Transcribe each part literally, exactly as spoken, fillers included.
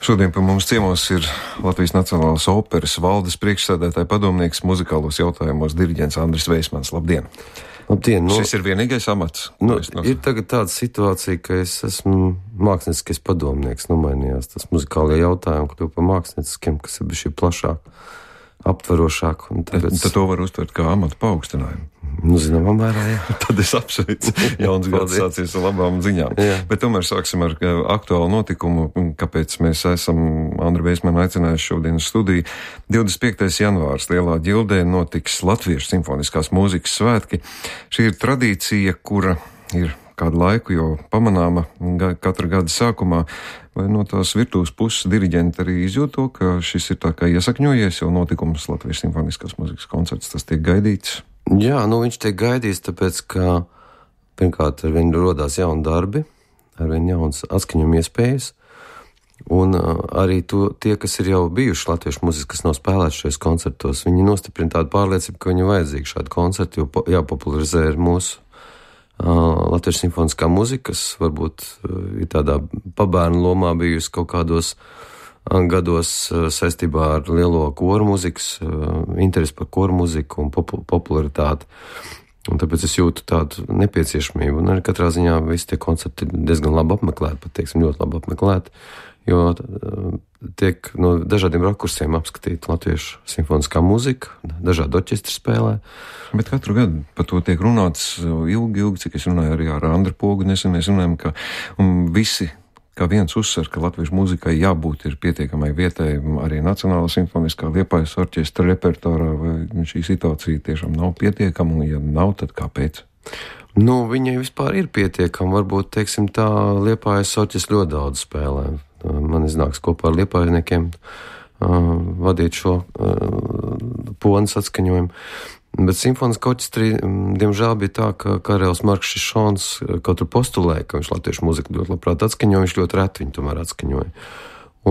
Šodien pie mums ciemos ir Latvijas Nacionālās operas valdes priekšsēdētāja padomnieks muzikālos jautājumos diriģents Andris Veismans. Labdien! Labdien! Nu, Šis ir vienīgais amats? Nu, ir tagad tāda situācija, ka es esmu mākslinieckais padomnieks, nomainījās tas muzikālie jautājumi, kļuva par mākslinieciskiem, kas ir bišķi plašāk, aptverošāk. Tāpēc... Tad to var uztvert kā amatu paaugstinājumu. Nu, zināmā mērā, jā. Tad es apsveicu. Jauns gads sācies ar labām ziņām. Jā. Bet tomēr sāksim ar aktuālu notikumu, kāpēc mēs esam Andru Veismanu aicinājuši šodien uz studiju. divdesmit piektais janvārs Lielā ģildē notiks Latviešu simfoniskās mūzikas svētki. Šī ir tradīcija, kura ir kādu laiku jau pamanāma katra gada sākumā. Vai no tās virtuves puses diriģenti arī izjūt to, ka šis ir tā kā iesakņojies jau notikums Latviešu simfoniskās mūzikas koncerts, tas tiek gaidīts? Jā, nu viņš tiek gaidīts, tāpēc, ka pirmkārt ar viņu rodās jauni darbi, ar viņu jaunas atskaņojuma iespējas, un uh, arī to, tie, kas ir jau bijuši latviešu mūzikas, kas nav spēlēti šajos koncertos, viņi nostiprina tādu pārliecību, ka viņu vajadzīgi šādi koncerti, jo po, jāpopularizē ir mūsu uh, latviešu simfoniskā mūzika, kas varbūt uh, ir tādā pabērnu lomā bijusi kaut kādos gados saistībā ar lielo koru mūzikas, interesi par koru mūziku un popularitāti. Un tāpēc es jūtu tādu nepieciešamību. Un arī katrā ziņā visi tie koncerti ir diezgan labi apmeklēti, pat teiksim ļoti labi apmeklēti, jo tiek no dažādiem rakursiem apskatīta latviešu simfoniskā mūzika, dažādi orķestri spēlē. Bet katru gadu par to tiek runāts ilgi, ilgi, cik es runāju arī ar Andru Pogu, nesen mēs runājam, ka visi kā viens uzsver, ka latviešu mūzikai jābūt ir pietiekamai vietai arī Nacionālā simfoniskā Liepājas orķestra repertuārā, vai šī situācija tiešām nav pietiekama, un ja nav, tad kāpēc? Nu, viņai vispār ir pietiekama, varbūt, teiksim tā, Liepājas orķestra ļoti daudz spēlē. Man iznāks kopā ar liepājniekiem uh, vadīt šo uh, ponas atskaņojumu. Bet simfoniskā orķestrī, diemžēl, bija tā, ka Karels Marks Šišons kaut tur postulēja, ka viņš latviešu mūziku ļoti labprāt atskaņoja, viņš ļoti reti viņu tomēr atskaņoja.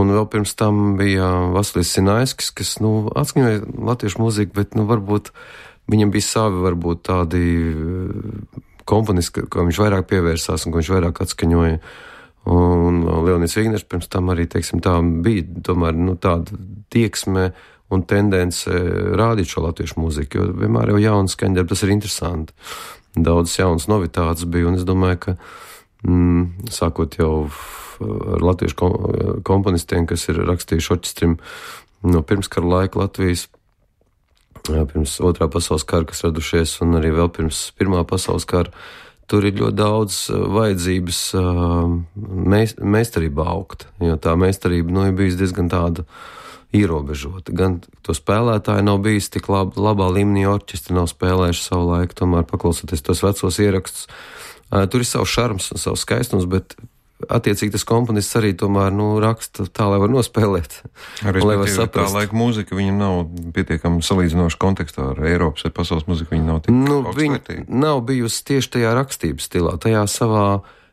Un vēl pirms tam bija Vasilijs Sinaiskis, kas, nu, atskaņoja latviešu mūziku, bet, nu, varbūt viņam bija savi, varbūt tādi komponisti, ka viņš vairāk pievērsās un ka viņš vairāk atskaņoja. Un Leonīds Vigners pirms tam arī, teiksim, tā bija tomēr, nu, tāda tieksme un tendence rādīt šo latviešu mūziku, jo vienmēr jau jaunas skaņdarbi, tas ir interesanti. Daudzas jaunas novitātes bija, un es domāju, ka mm, sākot jau ar latviešu komponistiem, kas ir rakstījuši orķestrim no pirmskara laika Latvijas, pirms otrā pasaules kara, kas radušies, un arī vēl pirms pirmā pasaules kara, tur ir ļoti daudz vajadzības meist, meistarība augt, jo tā meistarība, nu, ir bijusi diezgan tāda ierobežota. Gan to spēlētāji nav bijis tik lab, labā līmenī, orķestri nav spēlējuši savu laiku, tomēr paklausoties tos vecos ierakstus. Tur ir savs šarms un savs skaistums, bet attiecīgi tas komponists arī tomēr, nu, raksta tā, lai var nospēlēt. Arī tā laika mūzika, viņa nav pietiekami salīdzinoša kontekstā ar Eiropas vai pasaules mūziku, viņa nav tik nu, viņa nav bijusi tieši tajā rakstības stilā, tajā savā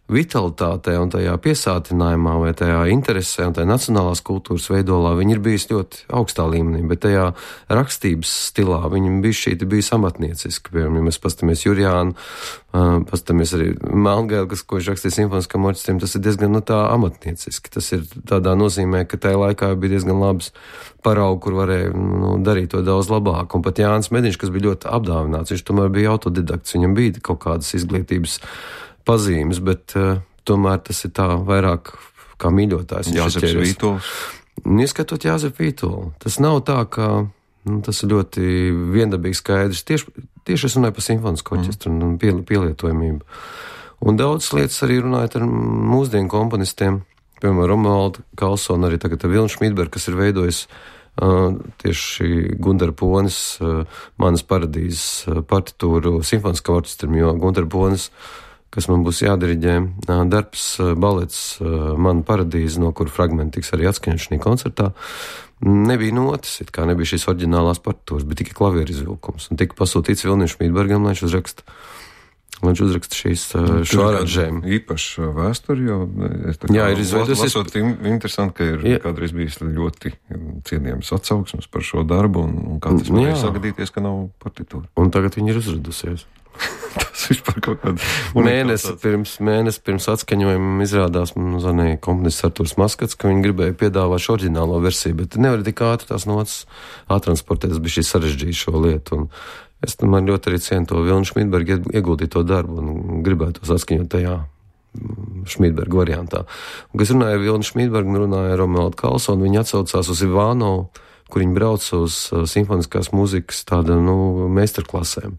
vitalitātē un tajā piesātinājumā vai tajā interesē un tajā nacionālās kultūras veidolā viņi ir bijis ļoti augstā līmenī, bet tajā rakstības stilā viņi bija šī bija amatnieciski. Piemēram, ja mēs pastamies Jurjānu, uh, pastamies arī Melngēlu, kas, ko viņš rakstīja simfoniskam orķestrim, tas ir diezgan, nu, tā amatnieciski. Tas ir tādā nozīmē, ka tajā laikā bija diezgan labs paraugu, kur varēja, nu, darīt to daudz labāk. Un pat Jānis Mediņš, kas bija ļoti apdāvināts, viņš tomēr bija autodidakts, viņam bija kaut kādas izglītības pazīmes, bet uh, tomēr tas ir tā vairāk kā mīļotājs. Jāzeps Vītols. Ieskatot Jāzepu Vītolu. Tas nav tā, ka nu, tas ir ļoti viendabīgi skaidrs. Tieši, tieši es runāju par simfonisko orķestru mm. un pie, pielietojamību. Un daudz lietas arī runājot ar mūsdienu komponistiem, piemēram, Romualdu Kalsonu, arī tagad Vilnu Šmidbergu, kas ir veidojis uh, tieši Gundara Ponis, uh, Manas paradīzes uh, partitūru simfoniskam orķestrim, jo Gundara Ponis, kas man būs jādiriģē, darbs, balets Mana paradīze, no kura fragmenti tiks arī atskaņot šī koncertā, nebija notis, it kā nebija šīs oriģinālās partitūras, bet tikai klavieru izvilkums. Un tika pasūtīts Vilnim Šmidbergam, lai viņš uzraksta, lai viņš uzraksta šīs šo aranžējumu. Īpaši vēsturi, jo es tā kā Jā, ir izveidus, lasot es... interesanti, ka ir Jā. Kādreiz bijis ļoti cienījams atsauksmes par šo darbu, un, un kā tas varēja sagadīties, ka nav partitūra. Un tagad viņi ir uzradusies. Tas vispār kaut kāda. Mēnesi pirms, mēnesi pirms atskaņojuma izrādās, man zvanīja komponists Arturs Maskats, ka viņi gribēja piedāvāt šo oriģinālo versiju, bet nevar tik ātri tās notas attransportēt, tas bija šī sarežģīta šo lietu. Un es man ļoti arī cienu to Vilnu Šmītbergu ieguldīto darbu un gribētu tos atskaņot tajā Šmītberga variantā. Un, kas runāja ar Vilnu Šmītbergu, runāja ar Romualdu Karlsonu, viņi atsaucās uz Ivānovu, kur viņi brauca uz simfoniskās mūzikas tāda, nu, meistarklasēm.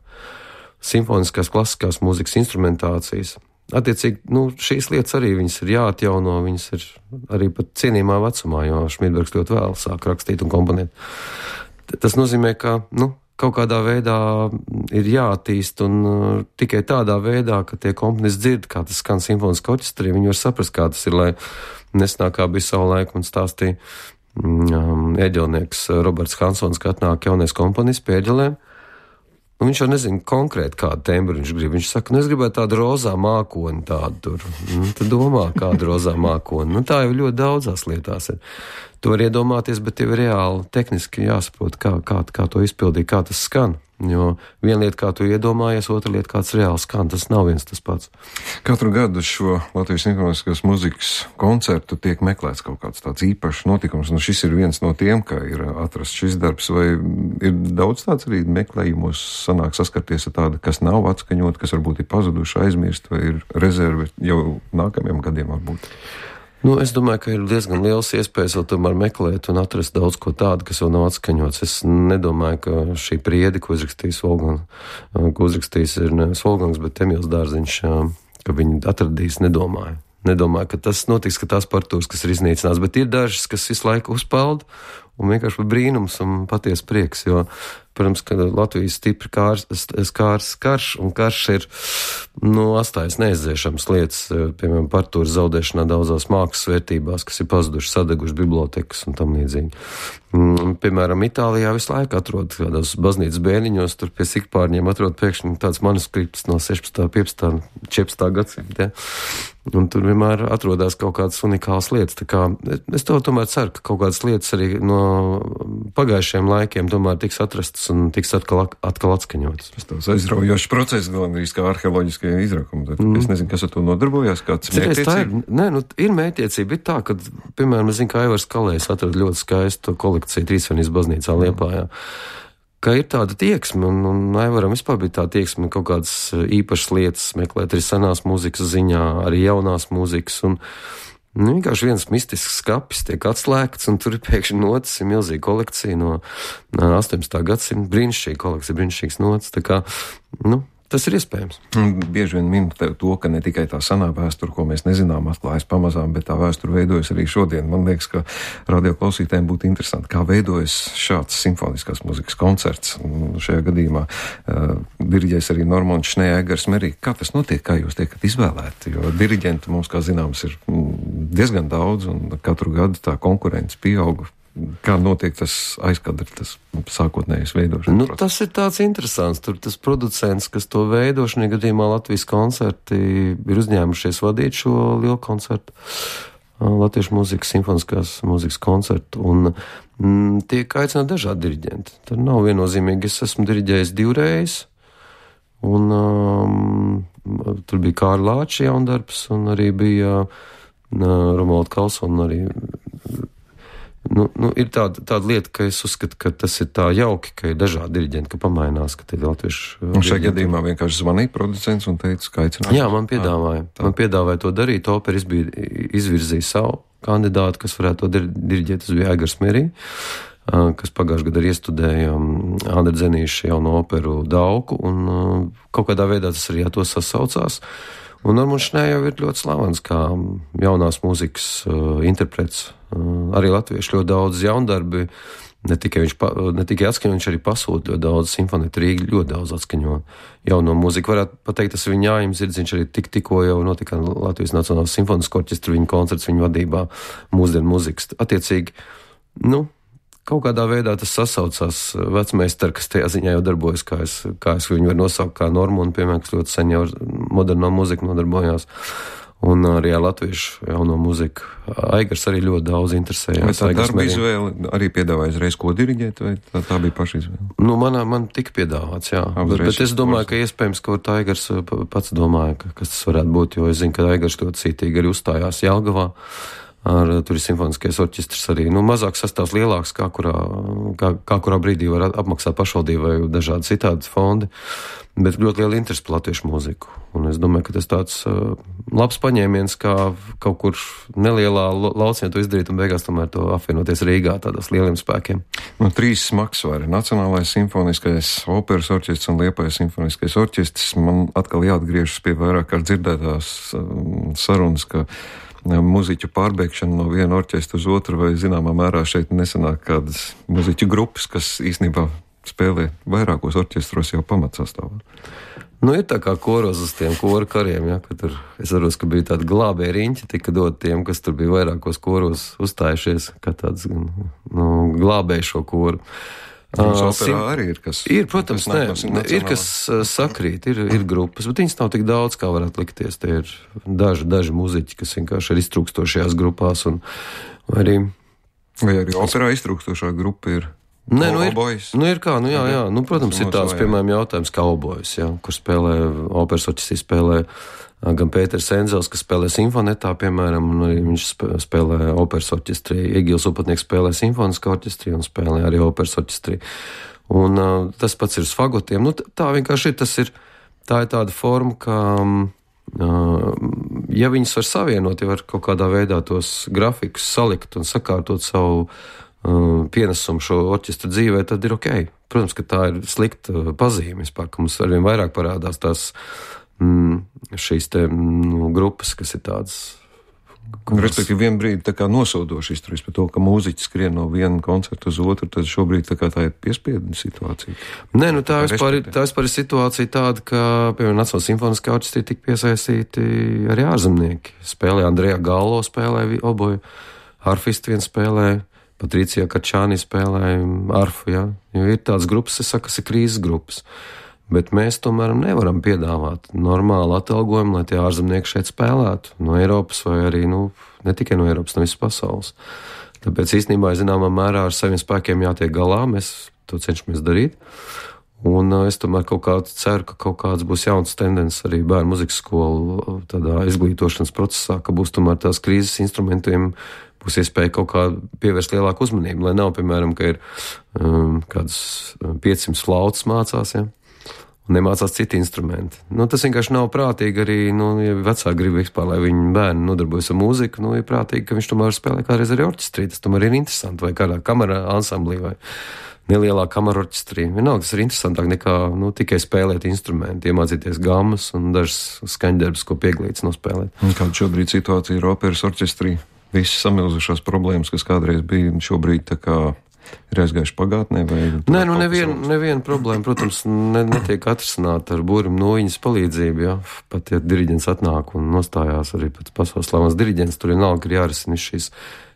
Simfoniskās klasiskās mūzikas instrumentācijas. Attiecīgi, nu, šīs lietas arī viņas ir jāatjauno, viņas ir arī pat cienījumā vecumā, jo Šmītbergs ļoti vēl sāk rakstīt un komponēt. Tas nozīmē, ka, nu, kaut kādā veidā ir jāattīst un uh, tikai tādā veidā, ka tie komponisti dzird, kā tas skan simfoniskā orķestrī, viņi var saprast, kā tas ir, lai nesnāk kā bija savu laiku un stāstīja um, eģelnieks Roberts Hansons, ka atnāk jaunais komponists pie eģelēm. Un viņš jau nezina konkrēti, kādu tembru viņš grib. Viņš saka, nu es gribētu tādu rozā mākoni tādu tur. Nu, tad domā, kādu rozā mākoni. Nu, tā jau ļoti daudzās lietās ir. To var iedomāties, bet tev ir reāli tehniski jāsaprot, kā, kā, kā to izpildīt, kā tas skan. Jo viena lieta, kā tu iedomājies, otra lieta, kāds reāli skan, tas nav viens tas pats. Katru gadu šo Latvijas simfoniskās mūzikas koncertu tiek meklēts kaut kāds tāds īpašs notikums, un šis ir viens no tiem, kā ir atrasts šis darbs, vai ir daudz tāds arī meklējumos sanāk saskarties ar tādu, kas nav atskaņot, kas varbūt ir pazuduši, aizmirst, vai ir rezerve jau nākamajiem gadiem varbūt? Nu, es domāju, ka ir diezgan liels iespējas vēl tomēr meklēt un atrast daudz ko tādu, kas vēl nav atskaņots. Es nedomāju, ka šī priede, ko uzrakstījis Volgangs, ko uzrakstījis ir nevis Volgangs, bet Emīls Dārziņš, ka viņi atradīs, nedomāju. Nedomāju, ka tas notiks, ka tās partitūras, kas ir iznīcināts, bet ir dažas, kas visu laiku uzpeld un vienkārši brīnums un paties prieks, jo, protams, ka Latvijas stipri kārs, kārs, karš un karš ir, nu, atstājas neizdzēšams lietas, piemēram, partitūras zaudēšanā daudzās mākslas vērtībās, kas ir pazuduši, sadeguši bibliotekas un tam līdzīgi. Piemēram, Itālijā visu laiku atrod kādās baznīcas bēniņos, tur pie sikpārņiem atrod pēkšņi tāds manuskripts no sešpadsmitā, piecpadsmitā, četrpadsmitā gadsimta, ja? Un tur vienmēr atrodās kaut kādas unikālas lietas. Tā kā es to tomēr ceru, ka kaut kādas lietas arī no pagājušajiem laikiem tomēr tiks atrastas un tiks atkal, atkal atskaņotas. Tas tāds aizraujošs process, galvenais kā arheoloģiskie izrakumi. Mm. Es nezinu, kas ar to nodarbojās, kāds mērķtiecība? Nē, nu, ir mērķtiecība, ir tā, ka, piemēram, es zinu, ka Aivars Kalējs atrada ļoti skaistu kolekciju Trīsvainības baznīcā Liepājā. Ka ir tāda tieksme, un, un Aivaram vispār bija tā tieksme kaut kādas īpašas lietas meklēt arī senās mūzikas ziņā, arī jaunās mūzikas, un nu, vienkārši viens mistisks skapis tiek atslēgts, un tur ir pēkšņi notas, ir milzīga kolekcija no astoņpadsmitā gadsimta, brīnišķīga kolekcija, brīnišķīgs notas, tā kā, nu, tas ir iespējams. Bieži vien min to, ka ne tikai tā senā vēsture, ko mēs nezinām, atklājas pamazām, bet tā vēsture veidojas arī šodien. Man liekas, ka radioklausītājiem būtu interesanti, kā veidojas šāds simfoniskās mūzikas koncerts. Šajā gadījumā uh, diriģēs arī Normons Šnejēgers Merī. Kā tas notiek, kā jūs tiekat izvēlēti? Jo diriģenti mums, kā zināms, ir diezgan daudz, un katru gadu tā konkurence pieauga. Kā notiek tas aizkadri, tas sākotnējais veidošanas nu, process? Tas ir tāds interesants. Tur tas producents, kas to veido, šajā gadījumā Latvijas koncerti ir uzņēmušies vadīt šo lielu koncertu, Latviešu mūzikas, simfoniskās mūzikas koncertu, un mm, tiek aicināti dažādi diriģenti. Tur nav viennozīmīgi, es esmu diriģējis divreiz, un um, tur bija Kārļa Lāča jaundarbs, un arī bija uh, Romualda Karlsona arī. Nu, nu, ir tāda, tāda lieta, ka es uzskatu, ka tas ir tā jauki, ka ir dažādi diriģenti, ka pamainās, ka tie ir latviešu. Un šajā gadījumā vienkārši zvanīja producents un teica, ka aicināt. Jā, man piedāvāja. Tā. Man piedāvāja to darīt. Operas bija izvirzīja savu kandidātu, kas varētu to diriģēt. Tas bija Aigars Merī, kas pagājušajā gadā arī iestudēja Andra Dzenīša jauno operu Dauku, un kaut kādā veidā tas arī to sasaucās. Un Normons Šnē jau ir ļoti slavens kā jaunās mūzikas uh, interprets. Uh, arī latvieši ļoti daudz jaundarbi, ne tikai viņš, pa, ne tikai atskaņo, viņš arī pasūta ļoti daudz, Simfonēta Rīga ļoti daudz atskaņo jauno mūziku. Varētu pateikt, tas viņa ājums ir, viņš arī tik, tikko jau notika Latvijas Nacionālās simfoniskā orķestra, viņa koncerts, viņa vadībā mūsdienu mūzikas. Attiecīgi, nu, kaut kādā veidā tas sasaucās vecmeistari, kas tajā ziņā jau darbojas, kā es, kā es viņu varu nosaukt, kā Normonu, piemēram, kas ļoti sen jau ar moderno mūziku nodarbojās. Un arī ar latviešu jauno mūziku. Aigars arī ļoti daudz interesējās. Vai tā darba izvēle arī piedāvāja uzreiz, ko diriģēt, vai tā, tā bija paša izvēle? Nu, manā, man tika piedāvāts, jā. Bet, bet es domāju, ka iespējams, ka Aigars pats domāja, ka, kas tas varētu būt, jo es zinu, ka Aigars ļoti cītīgi arī uzstājās Jelgavā. Ar, tur ir simfoniskais orķestrs arī. Nu, mazāks sastāvs, lielāks, kā kurā, kā, kā kurā brīdī var apmaksāt pašvaldību vai dažādi citādi fondi, bet ļoti liela interese par latviešu mūziku. Un es domāju, ka tas tāds uh, labs paņēmiens, kā kaut kur nelielā lauciņā to izdarīt un beigās tomēr to apvienoties Rīgā tādās lieliem spēkiem. Nu, trīs smagsvari - Nacionālais simfoniskais operas orķestrs un Liepājas simfoniskais orķestrs. Man atkal jāatgriežas pie vairāk kā dzirdētās um, sarunas, ka muziķu pārbēgšana no viena orķestra uz otru, vai zināmā mērā šeit nesanāk kādas muziķu grupas, kas īstenībā spēlē vairākos orķestros jau pamatsastāvā. Nu, ir tā kā koros uz tiem koru kariem, ja, ka tur, es varos, ka bija tādi glābēji riņķi, tika dot tiem, kas tur bija vairākos koros uzstājušies, kā tāds, nu, glābēji šo koru. Jums operā arī ir kas? Ir, protams, nē, no ir kas sakrīt, ir, ir grupas, bet viņas nav tik daudz, kā varētu likties. Tie ir daži, daži muziķi, kas vienkārši ir iztrūkstošajās grupās. Un arī, vai arī operā iztrūkstošā grupa ir? Nē, nu ir, nu ir kā, nu jā, jā. Nu, protams, ir tāds, piemēram, jautājums kā obojas, jā, kur spēlē, operas orķestrī spēlē gan Pēters Enzels, kas spēlē simfonetā, piemēram, un arī viņš spēlē operas orķestrī. Egils Upatnieks spēlē simfoniskā orķestrī un spēlē arī operas orķestrī. Un uh, tas pats ir uz fagotiem. Nu, tā vienkārši ir, tas ir, tā ir tāda forma, ka, uh, ja viņas var savienot, ja var kaut kādā veidā tos grafikus salikt un sakārtot savu uh, pienesumu šo orķestra dzīvē, tad ir ok. Protams, ka tā ir slikta pazīme vispār, ka mums arvien vairāk parādās tās šīs te nu, grupas, kas ir tādas. Kuras... Respektīvi, vien brīdi tā kā nosodoši izturies par to, ka mūziķi skrien no viena koncerta uz otru, tad šobrīd tā kā tā ir piespiedu situācija. Nē, nu tā, tā vispār ir, tā vispār ir situācija tāda, ka, piemēram, Nacionālajā simfoniskajā orķestrī tika piesaistīti arī ārzemnieki. Spēlē Andrejā Gallo, spēlē oboju, harfisti vien spēlē, Patricija Kačāni spēlē arfu, ja? Jo ir tādas grupas, es saku, kas ir krīzes grupas. Bet mēs tomēr nevaram piedāvāt normālu atalgojumu, lai tie ārzemnieki šeit spēlētu no Eiropas vai arī, nu, ne tikai no Eiropas, no visas pasaules. Tāpēc īstenībā, zināmā mērā, ar saviem spēkiem jātiek galā, mēs to cenšamies darīt. Un es tomēr kaut kā ceru, ka kaut kāds būs jauns tendences arī bērnu muzikas skolu tādā izglītošanas procesā, ka būs tomēr tās krīzes instrumentiem, būs iespēja kaut kā pievērst lielāku uzmanību, lai nav, piemēram, ka ir um, kādas piecsimt flautas mācās, ja? Nemācās citi instrumenti. Nu, tas vienkārši nav prātīgi arī, nu, ja vecāki grib vispār, lai viņi bērni nodarbojas ar mūziku, nu, ir prātīgi, ka viņš tomēr spēlē kādreiz arī orķestrī, tas tomēr ir interesanti, vai kādā kamera ansamblī, vai nelielā kamera orķestrī. Vienalga, tas ir interesantāk nekā, nu, tikai spēlēt instrumenti, iemācīties gammas un dažas skaņdarbus, ko pieglīts nospēlēt. Un kāda šobrīd situācija ir operas orķestrī? Visas samilzušās problēmas, kas kādreiz bija, šobrīd tā kā ir aizgājuši pagātnē? Vai Nē, nu neviena nevien problēma, protams, ne, netiek atrisināta ar būrim noiņas palīdzību, ja. Pat, ja diriģents atnāk un nostājās arī pēc pasaules slavens diriģents, tur vienalga ir jārisina šīs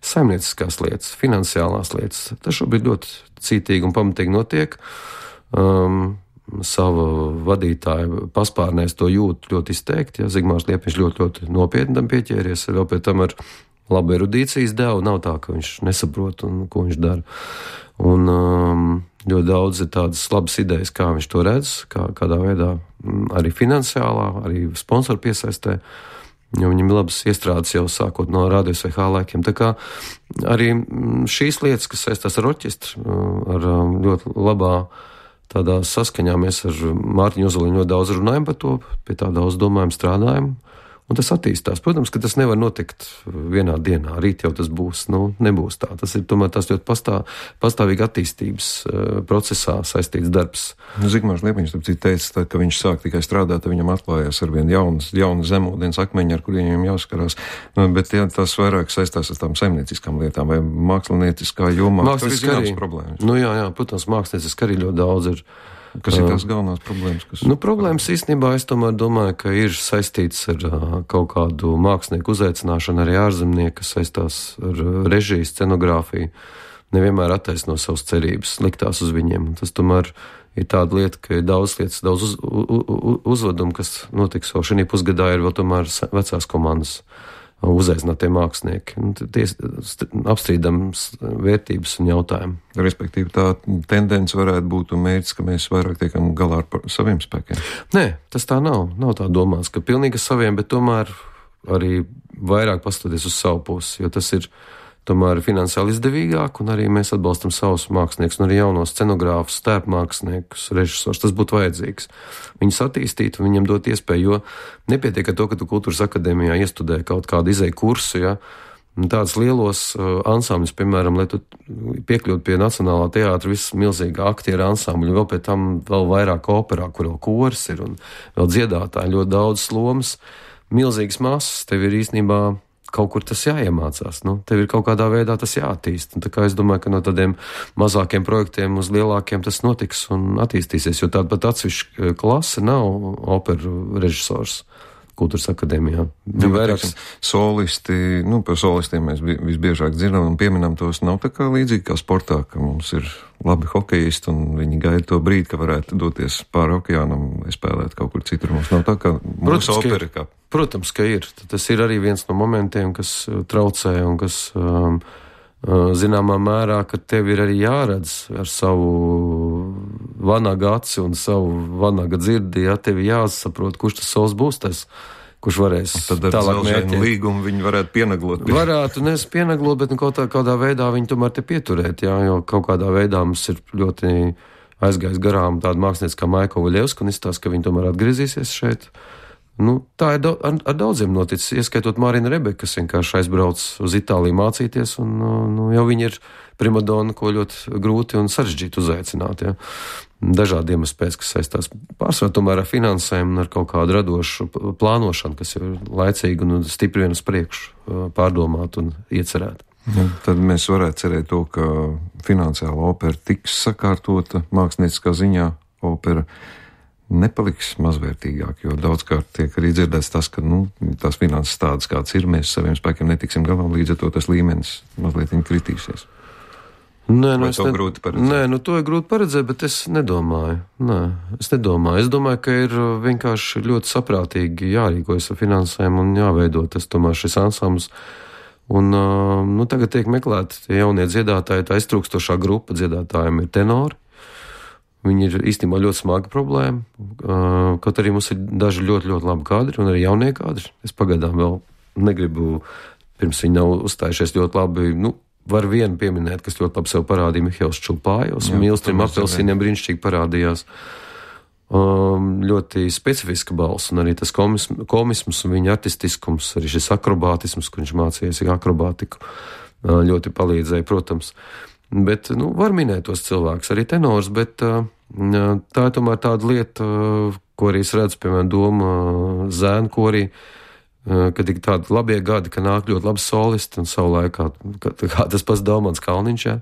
saimnieciskās lietas, finansiālās lietas. Tas šobrīd ļoti cītīgi un pamatīgi notiek. Um, sava vadītāja paspārnēs to jūt ļoti izteikti, ja Zigmārs Liepiņš ļoti, ļoti nopietni tam pieķēries, vēl pēc tam ar labu erudīcijas devu, nav tā, ka viņš nesaprot, un, ko viņš dara. Un um, ļoti daudz ir tādas labas idejas, kā viņš to redz, kā, kādā veidā arī finansiālā, arī sponsoru piesaistē, jo viņam ir labas iestrādes jau sākot no radios vai hālēkiem. Tā kā arī šīs lietas, kas saistās ar orķestru, ar ļoti labā tādā saskaņā mēs ar Mārtiņu Ozoliņu ļoti daudz runājam par to, pie tā daudz domājam, strādājam. Un tas attīstās. Protams, ka tas nevar notikt vienā dienā. Rīt jau tas būs, nu, nebūs tā. Tas ir tomēr tas ļoti pastā, pastāvīgi attīstības uh, procesā saistīts darbs. Zigmārs Liepiņš teica, tā, ka viņš sāk tikai strādāt, viņam atklājās ar vien jaunas, jaunas zemūdens akmeņi, ar kuriem viņam jāskarās. Bet ja, tas vairāk saistās ar tām saimnieciskām lietām vai mākslinieciskā jomā. Mākslinieciskā arī. Problēmas. Nu jā, jā, protams, mākslinieciskā arī ļoti daudz ir. Kas ir tās galvenās problēmas? Kas... Nu, problēmas īstenībā es tomēr domāju, ka ir saistīts ar uh, kaut kādu mākslinieku uzaicināšanu, arī ārzemnieku, kas saistās ar uh, režiju, scenogrāfiju. nevienmēr attaisno savas cerības, liktās uz viņiem. Tas tomēr ir tāda lieta, ka ir daudz lietas, daudz uz, uz, uzvedumu, kas notiks vēl šī pusgadā, ir vēl tomēr vecās komandas uzaicinātie mākslinieki. Tie apstrīdams vērtības un jautājumi. Respektīvi, tā tendence varētu būt un mērķis, ka mēs vairāk tiekam galā ar saviem spēkiem. Nē, tas tā nav. Nav tā domāts, ka pilnīgi saviem, bet tomēr arī vairāk pastoties uz savu pusi, jo tas ir tomēr finansiāli izdevīgāk, un arī mēs atbalstam savus māksliniekus, un arī jaunos scenogrāfus, tērpmāksliniekus, režisors. Tas būtu vajadzīgs. Viņus attīstīt un viņiem dot iespēju, jo nepietiek ar to, ka tu kultūras akadēmijā iestudē kaut kādu izēju kursu, ja, tāds lielos uh, ansambļus, piemēram, lai tu piekļūtu pie Nacionālā teātra viss milzīgā aktieru ansambļu, vēl pēc tam vēl vairāk operā, kur vēl kors ir, un vēl dziedātāji, ļoti daudz lomas, milzīgas masas, tev ir īstenībā kaut kur tas jāiemācās, nu, tev ir kaut kādā veidā tas jāattīst. Un tā kā es domāju, ka no tādiem mazākiem projektiem uz lielākiem tas notiks un attīstīsies, jo tāda pat atsevišķa klase nav operu režisors kultūras akadēmijā. Ja, vairāks solisti, nu, par solistiem mēs visbiežāk dzirdam un pieminam tos, nav tā kā līdzīgi kā sportā, ka mums ir labi hokejisti un viņi gaida to brīdi, ka varētu doties pāri okeānam vai spēlēt kaut kur citur. Mums nav tā kā mūsu opera kā. Protams, ka ir. Tas ir arī viens no momentiem, kas traucē un kas um, zināmā mērā, ka tev ir arī jāredz ar savu vanaga aci un savu vanaga dzirdi, ja tev jāsaprot, kurš tas solis būs tas, kurš varēs tālāk mērķēt. Līgumu viņi varētu pienaglot. Varētu, nes pienaglot, bet nu, kaut tā, kādā veidā viņi tomēr te pieturēt, jā, jo kaut kādā veidā mums ir ļoti aizgājis garām tāda mākslinieca kā Maika Vaļevska, un izstāsta, ka viņi tomēr atgriezīsies šeit. Nu, tā ir da- ar, ar daudziem noticis, ieskaitot Mārina Rebeka, kas vienkārši aizbrauc uz Itāliju mācīties, un nu, jau viņi ir primadona, ko ļoti grūti un sarežģīti uzaicināt. Ja. Dažādi iemesli pēc, kas saistās pārsvarā tomēr ar finansēm un ar kaut kādu radošu plānošanu, kas ir laicīgi un stipri vien uz priekšu pārdomāt un iecerēt. Ja, tad mēs varētu cerēt to, ka finansiāla opera tiks sakārtota mākslinieckā ziņā opera nepaliks mazvērtīgāk, jo daudzkārt tiek arī dzirdēts tas, ka, nu, tās finanses tādas, kāds ir, mēs saviem spēkiem netiksim galā, līdz ar to tas līmenis mazliet viņi kritīsies. Nē, nu, Vai to ne... grūti paredzēt? Nē, nu, to ir grūti paredzēt, bet es nedomāju. Nē, es nedomāju. Es domāju, ka ir vienkārši ļoti saprātīgi jārīkojas ar finansēm un jāveido tas tomēr šis ansambls. Un, nu, tagad tiek meklēti jaunie dziedātāji, tā iztrūkstošā grupa dziedātājiem ir tenori. Viņi ir īstenībā ļoti smaga problēma, kaut arī mums ir daži ļoti, ļoti labi kadri un arī jaunie kadri. Es pagaidām vēl negribu, pirms viņi nav uzstājušies ļoti labi, nu, var vienu pieminēt, kas ļoti labi sev parādīja, Mihails Čulpājos, un Mīlstrim Apelsīniem brīnišķīgi parādījās. Um, ļoti specifiska balss, un arī tas komisms, komisms un viņa artistiskums, arī šis akrobātisms, kur viņš mācījies akrobātiku, ļoti palīdzēja, protams. Bet, nu, var minēt tos cilvēkus, arī tenors, bet uh, tā ir tomēr tāda lieta, uh, ko arī es redzu, piemēram, Doma uh, zēnu korī, uh, kad ir tādi labie gadi, ka nāk ļoti labi solisti, un savu laikā, kā, kā tas pats Daumans Kalniņš, jā.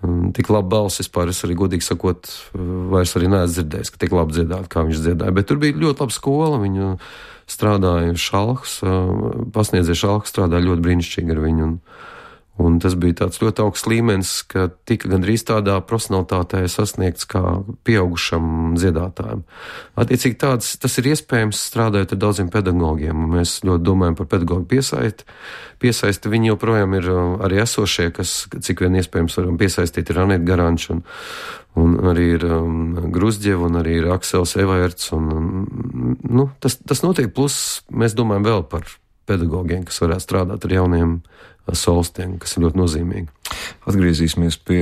Um, tik labi balss vispār, es arī godīgi sakot, uh, vairs arī neesmu dzirdējis, ka tik labi dziedāt, kā viņš dziedāja, bet tur bija ļoti laba skola, viņu strādāja Šalhs, uh, pasniedzēja Šalhs, strādāja ļoti brīnišķīgi ar viņu, un Un tas bija tāds ļoti augsts līmenis, ka tika gandrīz tādā profesionalitātē sasniegts kā pieaugušam dziedātājam. Attiecīgi tāds, tas ir iespējams strādājot ar daudziem pedagogiem. Mēs ļoti domājam par pedagogu piesaisti. Piesaisti viņi joprojām ir arī esošie, kas, cik vien iespējams varam piesaistīt, ir Aneta Garančs un, un arī ir um, Gruzģeva un arī ir Aksels Evaerts. Un, um, nu, tas, tas notiek, plus mēs domājam vēl par pedagogiem, kas varētu strādāt ar jauniem solistiem, kas ir ļoti nozīmīgi. Atgriezīsimies pie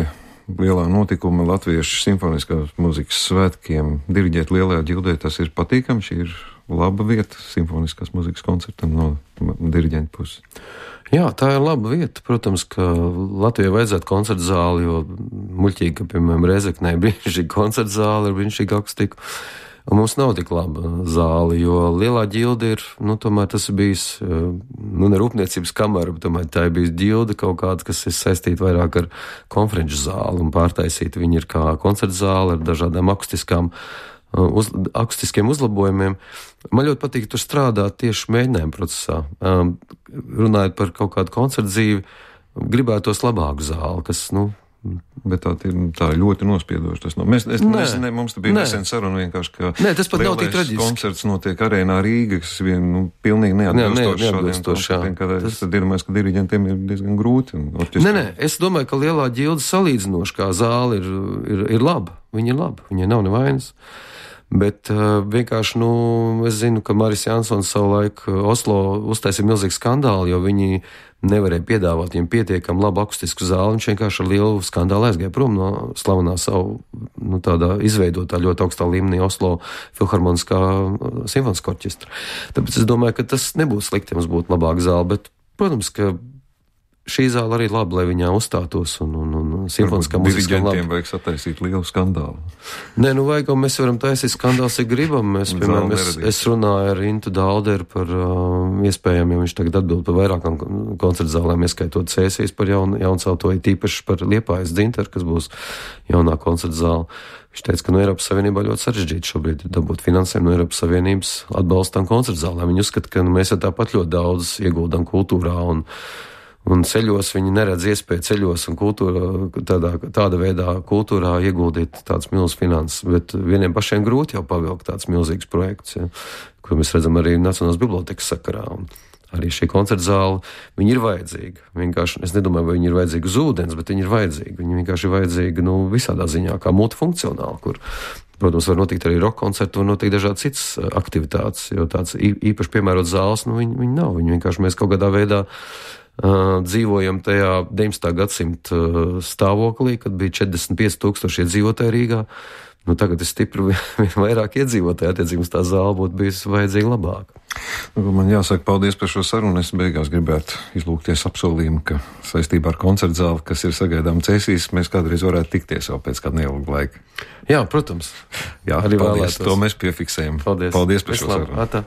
lielā notikuma Latviešu simfoniskās mūzikas svētkiem. Diriģēt Lielajā ģildē, tas ir patīkami, šī ir laba vieta simfoniskās mūzikas koncertam no diriģenta puses. Jā, tā ir laba vieta. Protams, ka Latvijai vajadzētu koncertu zāli, jo muļķīgi, ka, piemēram, Rezeknē brīnišķīga koncertu zāle ar brīnišķīgu akustiku. Un mums nav tik laba zāle, jo Lielā ģilde ir, nu, tomēr tas ir bijis, nu, ne rūpniecības kamera, bet tomēr tā ir bijis ģilde kaut kāda, kas ir saistīta vairāk ar konferenču zāli un pārtaisīta. Viņi ir kā koncertu zāle ar dažādām akustiskām, uz, akustiskiem uzlabojumiem. Man ļoti patīk tur strādāt tieši mēģinājuma procesā. Runājot par kaut kādu koncertu dzīvi, gribētos labāku zāli, kas, nu, Bet tā, tā ļoti nospiedoši tas nav. Mēs, es, mēs, ne, mums te bija nesen saruna vienkārši, ka Nē, tas pat nav tik traģiski. Koncerts notiek arēnā Rīga, kas vien, nu, pilnīgi neatbilstoši šādiem koncertiem, kad tas... es tad iedomājos, ka diriģentiem ir diezgan grūti. Nē, nē, es domāju, ka lielā ģilda salīdzinoši kā zāle ir, ir, ir laba. Viņa ir laba, viņai nav nevainas. Bet uh, vienkārši, nu, es zinu, ka Maris Jansons savulaik Oslo uztaisīja milzīgu skandālu, jo viņi nevarēja piedāvāt viņam pietiekam labu akustisku zāli. Viņš vienkārši ar lielu skandālu aizgāja prom no slavenā savu, nu, tādā izveidotā ļoti augstā līmenī Oslo filharmoniskā simfoniskā orķestra. Tāpēc es domāju, ka tas nebūtu slikti, ja mums būtu labāka zāle, bet, protams, ka šī zāle arī labi, lai viņā uzstātos un, un, un simfoniskā mūzika labi. Diriģentiem vajag sataisīt lielu skandālu. Nē, nu vajag, un mēs varam taisīt skandāls, ja gribam. Mēs, piemēram, es, es runāju ar Intu Dalderu par uh, iespējām, ja viņš tagad atbild par vairākām koncertu zālēm, ieskaitot Cēsīs par jaun, jauncelto, tīpaši par Liepājas Dzintaru, kas būs jaunā koncertu zāle. Viņš teica, ka no Eiropas Savienībā ļoti sarežģīti šobrīd dabūt finansējumu no Eiropas Savienības atbalstam koncertu zālēm. Viņi uzskata, ka nu, mēs jau tāpat ļoti daudz ieguldam kultūrā un Un ceļos viņi neredz iespēju ceļos un kultūrā, tādā, tāda veidā kultūrā ieguldīt tādas milzīgas finanses, bet vieniem pašiem grūti jau pavilkt tāds milzīgs projekts, ja, ko mēs redzam arī Nacionālās bibliotekas sakarā. Un arī šī koncerta zāle, viņi ir vajadzīga. Vienkārši, es nedomāju, vai viņi ir vajadzīgi uz ūdens, bet viņi ir vajadzīgi. Viņi vienkārši ir vajadzīgi, nu, visādā ziņā, kā multifunkcionāli, kur, protams, var notikt arī rock koncerti, var notikt dažādas citas aktivitātes, jo tāds īpaši piemērots zāles, nu, viņi, viņi nav. Viņi vienkārši mēs kaut kādā veidā Uh, dzīvojam tajā deviņdesmitā gadsimta uh, stāvoklī, kad bija četrdesmit pieci tūkstoši iedzīvotāji Rīgā. Nu, tagad ir stipri vairāk iedzīvotāji, attiecīgi tā zāle būtu bijusi vajadzīga labāk. Nu, man jāsaka paldies par šo sarunu. Es beigās gribētu izlūgties apsolījumu, ka saistībā ar koncertu zāli, kas ir sagaidām Cēsīs, mēs kādreiz varētu tikties jau pēc kāda neilga laika. Jā, protams. Jā, arī paldies. Vēlētos. To mēs piefiksējam. Paldies, paldies par šo sarunu.